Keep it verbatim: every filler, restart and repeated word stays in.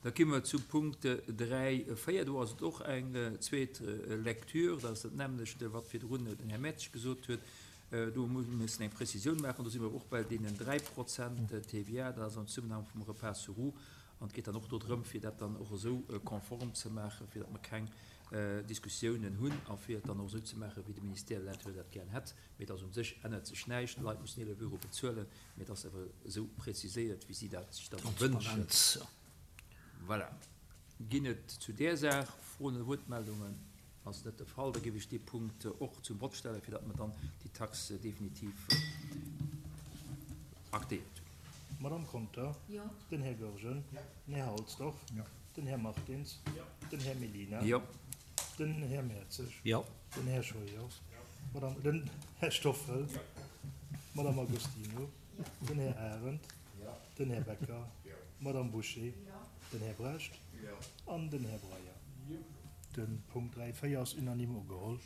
Da gi mer zum Punkt dräi véier. Do ass et och eng zweet Lecture. Dat ass dat nämmlecht, wat virdrun den Här Mertsch gesot huet. Do muss mer müssen eng Prezisioun maachen. Do si mer och bei deenen dräi Prozent T V A. Dat ass am Zesummenhang vum Repas sur roues. An et geet dann och do drëm, fir dat dann och esou konform ze maachen, fir datt mer keng Diskussiounen hunn a fir et dann och esou ze maachen, wéi de Ministère de l'Intérieur dat gären hätt. Mee et ass un sech ännert sech näischt. D'Leit mussen eelef Euro bezuelen, mee et ass awer esou preziséiert, wéi si dat sech dat wënschen. Transparenz. Voilà. Ginn et zu där Saach Froen oder Wuertmeldungen? Ass net de Fall. Da géif ech dee Punkt och zum Vott stellen, fir datt mer dann déi Tax definitiv aktéiert hunn. Madame Conter? Jo. Den Här Goergen? Den Här Halsdorf? Den Här Martins? Den Här Mellina? Jo. Den Här Mertzig? Jo. Den Här Scheuer? Madame, den Här Stoffel? Madame Agostino? Den Här Arendt? Den Här Becker? Madame Bouché? Den Här Brecht? An den Här Breyer? De Punkt dräi véier ass unanime ugeholl.